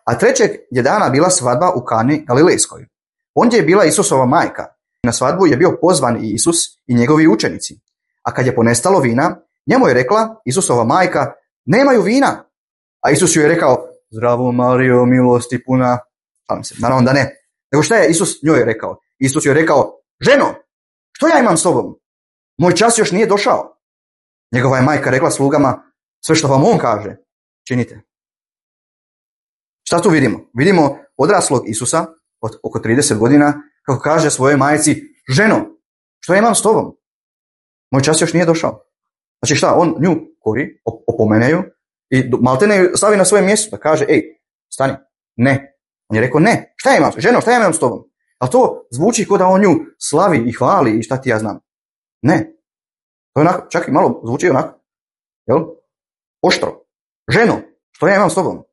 A trećeg je dana bila svadba u Kani Galilejskoj. Ondje je bila Isusova majka. Na svadbu je bio pozvan i Isus i njegovi učenici. A kad je ponestalo vina, njemu je rekla Isusova majka, nemaju vina. A Isus ju je rekao, zdravo Marijo, milosti puna. Naravno da ne. Nego šta je Isus njoj rekao? Isus joj je rekao, ženo, što ja imam s tobom? Moj čas još nije došao. Njegova je majka rekla slugama, sve što vam on kaže, činite. Šta tu vidimo? Vidimo odraslog Isusa od oko 30 godina kako kaže svojoj majci, ženo, što ja imam s tobom? Moj čas još nije došao. Znači šta, on nju kori, opomene ju i maltene ju stavi na svoje mjesto da kaže, ej, stani, ne. On je rekao, ne, šta ja imam, ženo, šta ja imam s tobom? A to zvuči kao da on nju slavi i hvali i šta ti ja znam. Ne. To je onako, čak i malo zvuči onako, jel? Oštro. Ženo, što ja imam s tobom?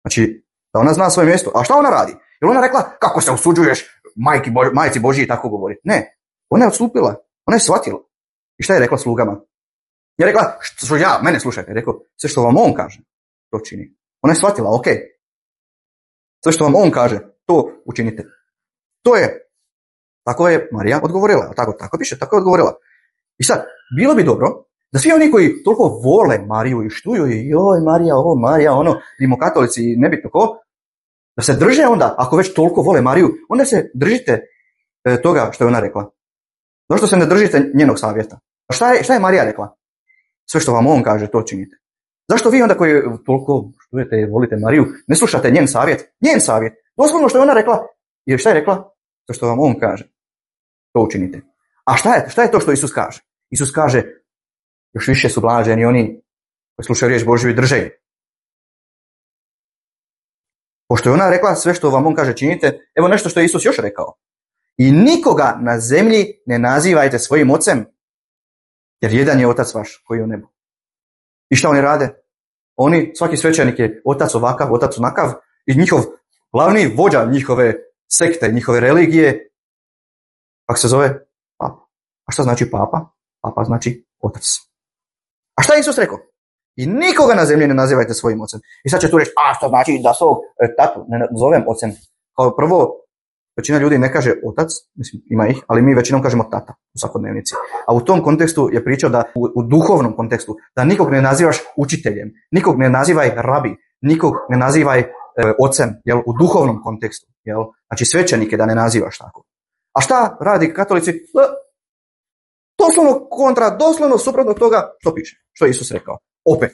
Znači, da ona zna svoje mjesto. A šta ona radi? Jer ona rekla, kako se usuđuješ majci Božji i tako govori. Ne, ona je odstupila, ona je shvatila. I šta je rekla slugama? Je rekla, što ja, mene slušajte, je rekao, sve što vam on kaže, to čini. Ona je shvatila, ok. Sve što vam on kaže, to učinite. To je, tako je Marija odgovorila. Tako piše, tako je odgovorila. I sad, bilo bi dobro da svi oni koji toliko vole Mariju i štuju i joj Marija, ovo Marija, ono, rimokatolici i nebitno ko, da se drže onda, ako već toliko vole Mariju, onda se držite toga što je ona rekla. Zašto se ne držite njenog savjeta? Šta je Marija rekla? Sve što vam on kaže, to činite. Zašto vi onda koji toliko štujete i volite Mariju, ne slušate njen savjet? Njen savjet. Doslovno što je ona rekla. Jer šta je rekla? To što vam on kaže, to učinite. A šta je to što Isus kaže? Isus kaže, još više su blaženi oni koji slušaju riječ Božju i drže je. Pošto je ona rekla sve što vam on kaže činite, evo nešto što je Isus još rekao. I nikoga na zemlji ne nazivajte svojim ocem, jer jedan je otac vaš koji je u nebu. I šta oni rade? Svaki svećenik je otac ovakav, otac onakav i njihov glavni vođa njihove sekte, njihove religije, kako se zove? Papa. A šta znači papa? Papa znači otac. A šta je Isus rekao? I nikoga na zemlji ne nazivajte svojim ocem. I sad će tu reći, što znači da svog tatu ne zovem ocem? Kao prvo, većina ljudi ne kaže otac, mislim ima ih, ali mi većinom kažemo tata u svakodnevnici. A u tom kontekstu je pričao da u duhovnom kontekstu, da nikog ne nazivaš učiteljem, nikog ne nazivaj rabi, nikog ne nazivaj ocem, jel, u duhovnom kontekstu. Jel? Znači svećenike da ne nazivaš tako. A šta radi katolici? Doslovno suprotno toga što piše, što je Isus rekao. Opet,